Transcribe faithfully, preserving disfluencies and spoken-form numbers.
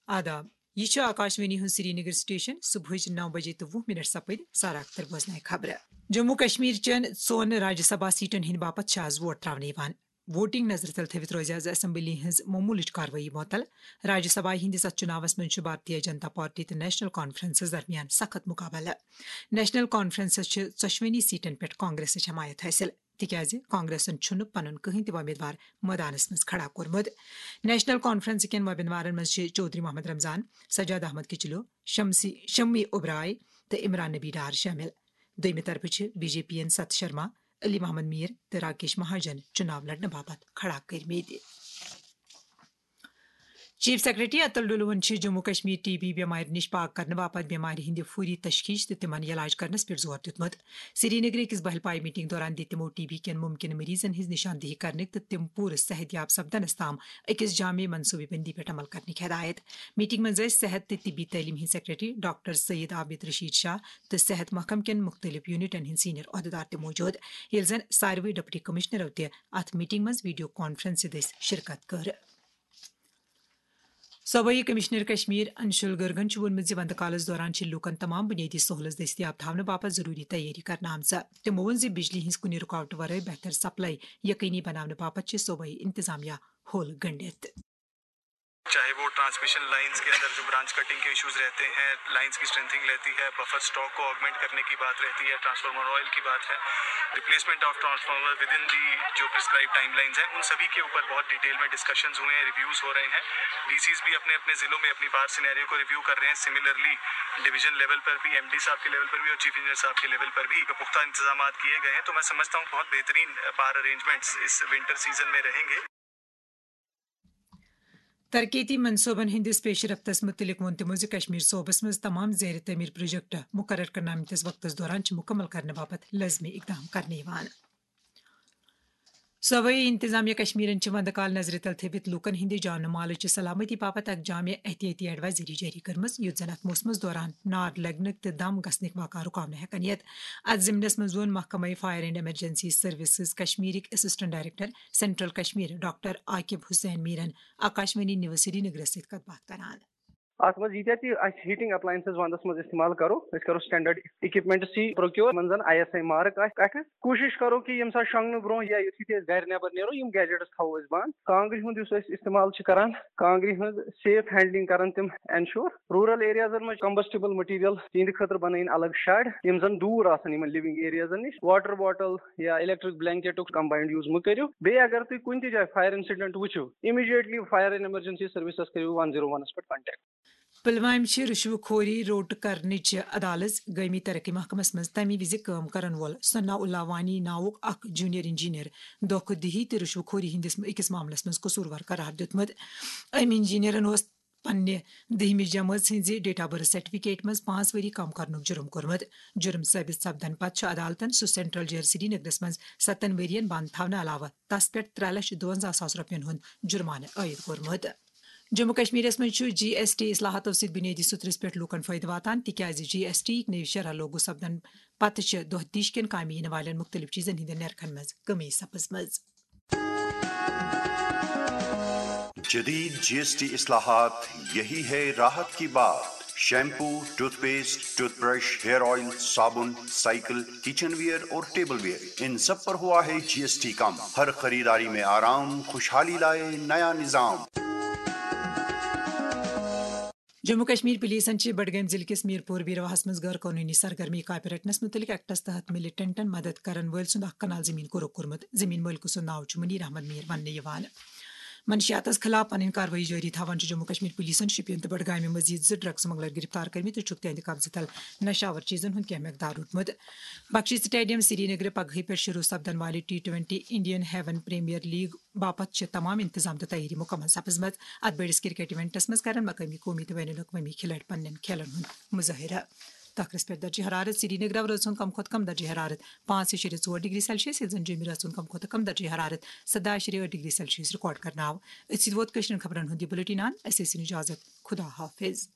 آداب۔ یہِ چھُ آکاشوانی ہُنٛد سرینگر سٹیشن۔ صبحٕچ نو بجے تہٕ وُہ منٹ سپٕدۍ۔ سارا اختر بوزنایہِ خبرٕ۔ جموں کشمیر چٮ۪ن ژۄن راجیہ سبھا سیٹن ہٕنٛدِ باپتھ چھِ آز ووٹ تراونہٕ یِوان۔ ووٹنگ نظرِ تل تھٲوِتھ روزِ آز اسمبلی ہٕنٛز معموٗلٕچ کاروٲیی معطل۔ راجیہ سبھا ہٕنٛدِ ستہٕ چُناوس منٛز چھُ بھارتیہ جنتا پارٹی تہٕ نیشنل کانفرنسس درمیان سخت مقابلہٕ۔ نیشنل کانفرنسس چھِ ژۄشوٕنی سیٹن پٮ۪ٹھ کانگریسٕچ حمایت حٲصِل، تِکیازِ کانگریسن چھُنہٕ پنُن کٕہٕنۍ تہِ وۄمیدوار مٲدانس منٛز کھڑا کوٚرمُت۔ نیشنل کانفرنس کٮ۪ن وۄمیدوارن منٛز چھِ چودھری محمد رمضان، سجاد احمد کچلو، شمسی، شمی اوبرائے تہٕ عمران نبی ڈار شٲمِل۔ دوٚیمہِ طرفہٕ چھِ بی جے پی یَن ستھ شرما، علی محمد میر تہٕ راکیش مہاجن چُناو لڑنہٕ باپتھ کھڑا کٔرمٕتۍ۔ چیف سیکرٹری اتل ڈولون چھِ جموں کشمیر ٹی بی بٮ۪مارِ نِش پاک کرنہٕ باپتھ بٮ۪مارِ ہٕنٛدِ فوری تشخیص تہٕ تِمن علاج کرنس پٮ۪ٹھ زور دیُتمُت۔ سرینگرٕ أکِس بہل پایہِ میٹنگ دوران دِتۍ تِمو ٹی بی کٮ۪ن مُمکِنہٕ مریضن ہٕنٛز نشاندہی کرنٕکۍ تہٕ تِم پوٗرٕ صحت یاب سپدنس تام أکِس جامع منصوٗبہٕ بندی پٮ۪ٹھ عمل کرنٕکۍ ہدایت۔ میٹنگ منٛز ٲسۍ صحت تہٕ طبی تعلیٖم ہٕنٛدۍ سیکرٹری ڈاکٹر سعید عابد رشید شاہ تہٕ صحت محکمہٕ کٮ۪ن مُختٔلِف یونٹن ہٕنٛدۍ سینئر عہدٕدار تہِ موجود، ییٚلہِ زن ساروٕے ڈپٹی کمشنرو تہِ اتھ میٹنگ منٛز ویڈیو کانفرنسہِ دٔسۍ شرکت کٔر۔ صوبٲئی کمشنر کشمیر انشول گرگن چھُ ووٚنمُت زِ وندٕ کالس دوران چھِ لوٗکن تمام بُنیٲدی سہوٗلژ دٔستیاب تھاونہٕ باپتھ ضروٗری تیٲری کرنہٕ آمژٕ۔ تِمو ووٚن زِ بجلی ہٕنٛز کُنہِ رُکاوٹہٕ ورٲے بہتر سپلائی یقینی بناونہٕ باپتھ چھِ صوبٲئی انتظامیہ ہوٚل گٔنڈِتھ۔ چاہے وہ ٹرانسمیشن لائنز کے اندر جو برانچ کٹنگ کے ایشوز رہتے ہیں، لائنز کی اسٹرینتھنگ رہتی ہے، بفر اسٹاک کو آگمنٹ کرنے کی بات رہتی ہے، ٹرانسفارمر آئل کی بات ہے، replacement of transformer within the جو پرسکرائب ٹائم لائنز ہیں، ان سبھی کے اوپر بہت ڈیٹیل میں ڈسکشنز ہوئے ہیں، ریویوز ہو رہے ہیں۔ ڈی سیز بھی اپنے اپنے ضلعوں میں اپنی وار سینیریو کو ریویو کر رہے ہیں۔ سملرلی ڈویژن لیول پر بھی، ایم ڈی صاحب کے لیول پر بھی اور چیف انجینئر صاحب کے لیول پر بھی پختہ انتظامات کیے گئے ہیں۔ تو میں سمجھتا ہوں بہت بہترین پاور ارینجمنٹس اس ونٹر سیزن میں رہیں گے۔ ترقیتی منصوبن ہٕنٛدِس پیش رفتس مُتعلق ووٚن تِمو زِ کشمیر صوبس منٛز تمام زیر تعمیٖر پروجیکٹ مُقرر کرنہٕ آمتِس وقتس دوران چھِ مُکمل کرنہٕ باپتھ لٲزمی اقدام کرنہٕ یِوان۔ صوبٲئی انتظامیہ کشمیرن چھِ وندٕ کال نظرِ تل تھٲوِتھ لوٗکن ہٕنٛدِ جان و مالٕچہِ سلامتی باپتھ اکھ جامع احتیاطی ایڈوائزری جٲری کٔرمٕژ، یُتھ زن اتھ موسمس دوران نار لگنٕکۍ تہٕ دم گژھنٕکۍ واقعہٕ رُکاونہٕ ہٮ۪کن یِتھ۔ اتھ ضمنس منٛز ووٚن محکمہٕ فائر اینڈ ایمرجنسی سروسز کشمیرٕکۍ assistant director central Kashmir doctor Aqib Hussain میرن آکاشوانی نیوز سرینگرس سۭتۍ کتھ باتھ کران۔ اتھ منٛز ییٖتیٛاہ تہِ أسۍ ہیٹنگ اپلاینسز ونٛدس منٛز استعمال کرو، أسۍ کرو سٹینڈرڈ اکوپمنٹس تہِ پروکیور، یِمن زن آئی ایس آئی مارک آسہِ۔ اَکھ کوٗشش کرو کہِ ییٚمہِ ساتہٕ شۄنٛگنہٕ برونٛہہ یا یُتھُے تہِ أسۍ گرِ نٮ۪بر نیرو، یِم گیجٹس تھاوو أسۍ بنٛد۔ کانٛگرِ ہُنٛد یُس أسۍ استعمال چھِ کران، کانٛگرِ ہٕنٛز سیف ہینڈلنگ کرن تِم انشور۔ رورل ایریازن منٛز چھِ کمبسٹیبل مٹیریل تِہنٛدِ خٲطرٕ بنٲیِن الگ شیڈ، یِم زن دوٗر آسن یِمن لِونگ ایریازن نِش۔ واٹر باٹل یا الیکٹرک بلینکیٹُک کمباینڈ یوٗز مہٕ کٔرِو۔ بیٚیہِ اگر تُہۍ کُنہِ تہِ جایہِ فائر انسیڈنٹ وٕچھِو، immediately fire and emergency services کٔرِو ون زیٖرو ونس پٮ۪ٹھ کانٹیکٹ۔ پلوامہِ چھِ رشوٕ خوری روٚٹ کرنٕچ عدالت گٲمی ترقی محکمس منٛز تَمہِ وِزِ کٲم کرن وول ثناء اللہ وانی ناوُک اکھ جونیئر انجینئر دھوکہٕ دِہی تہٕ رشوٕ خوری ہٕنٛدِس أکِس معاملس منٛز قصوٗروار قرار دیُتمُت۔ أمۍ انجینئرن اوس پننہِ دٔہمہِ جمٲژ ہٕنٛزِ ڈیٹ آف برتھ سرٹیفکیٹ منٛز پانٛژھ ؤری کم کرنُک جُرم کوٚرمُت۔ جُرم ثٲبت سپدن پتہٕ چھُ عدالتن سُہ سینٹرل جیل سرینگرس منٛز ستن ؤرین بند تھاونہٕ علاوٕ تس پٮ۪ٹھ ترٛےٚ لچھ دُوَنزاہ ساس رۄپین ہُنٛد جُرمانہٕ عٲید کوٚرمُت۔ جموں کشمیرس منٛز چھُ جی ایس ٹی اصلاحاتو سۭتۍ بُنیٲدی سُترس پٮ۪ٹھ لوٗکن فٲیدٕ واتان، تِکیازِ جی ایس ٹی یِک نٔوۍ شرح لاگو سپدن پتہٕ چھِ دۄہ دِش کٮ۪ن کامہِ یِنہٕ والٮ۪ن مُختٔلِف چیٖزن ہٕنٛدٮ۪ن نرخن منٛز کٔمی سپٕزمٕژ۔ جدید جی ایس ٹی اصلاحات، یہی ہے راحت کی بات۔ Shampoo, toothpaste, toothbrush, hair oil, صابن، سائیکل، کچن ویئر اور ٹیبل ویئر، ان سب پر ہوا ہے جی ایس ٹی کم۔ ہر خریداری میں آرام، خوشحالی لائے نیا نظام۔ جموں کشمیر پولیسن چھِ بڈگام ضلعہٕ کِس میٖر پوٗر بیٖرواہس منٛز غٲر قونوٗنی سرگرمی کاپہِ رٹنس مُتعلق ایکٹس تحت مِلٹنٹن مدد کرن وٲلۍ سُنٛد اکھ کنال زٔمیٖن قرق کوٚرمُت۔ زٔمیٖن مٲلکہٕ سُنٛد ناو چھُ منیر احمد میٖر وننہٕ یِوان۔ منشیاتس خلاف پنٕنۍ کاروٲیی جٲری تھاوان چھُ جموں کشمیر پولیسن شوپین تہٕ بڈگامہِ مٔزیٖد زٕ ڈرگز سمگلر گرفتار کٔرمٕتۍ تہٕ چھُکھ تِہنٛدِ قبضہٕ تل نشہٕ آور چیٖزن ہُنٛد کینٛہہ مقدار روٚٹمُت۔ بخشی سٹیڈیم سرینگرٕ پگہٕے پٮ۪ٹھ شروع سپدن والہِ T twenty Indian Heaven Premier League باپتھ چھِ تمام انتظام تہٕ تیٲری مُکمل سپٕزمٕژ۔ اتھ بٔڑِس کرکٹ ایونٹس منٛز کرن مقٲمی، قومی تہٕ بین الاقوٲمی کھلٲڑۍ پننٮ۪ن کھیلن ہُنٛد مظٲہرٕ۔ تخرس پٮ۪ٹھ درجہ حرارت۔ سرینگرٕ رٲژ ہُنٛد کم کھۄتہٕ کم درجہ حرارت پانٛژھ اِشیرے ژور ڈگری سیلسیس، ییٚلہِ زن جوٚمہِ رٲژ ہُنٛد کم کھۄتہٕ کم درجہ حرارت سداہ اِشیرے ٲٹھ ڈگری سیلسیس ریکارڈ کرنہٕ آو۔ أتھۍ سۭتۍ ووت کٲشرٮ۪ن خبرن ہُنٛد یہِ بُلٹن اند۔ اسہِ ٲسِن اجازت۔ خدا حافظ۔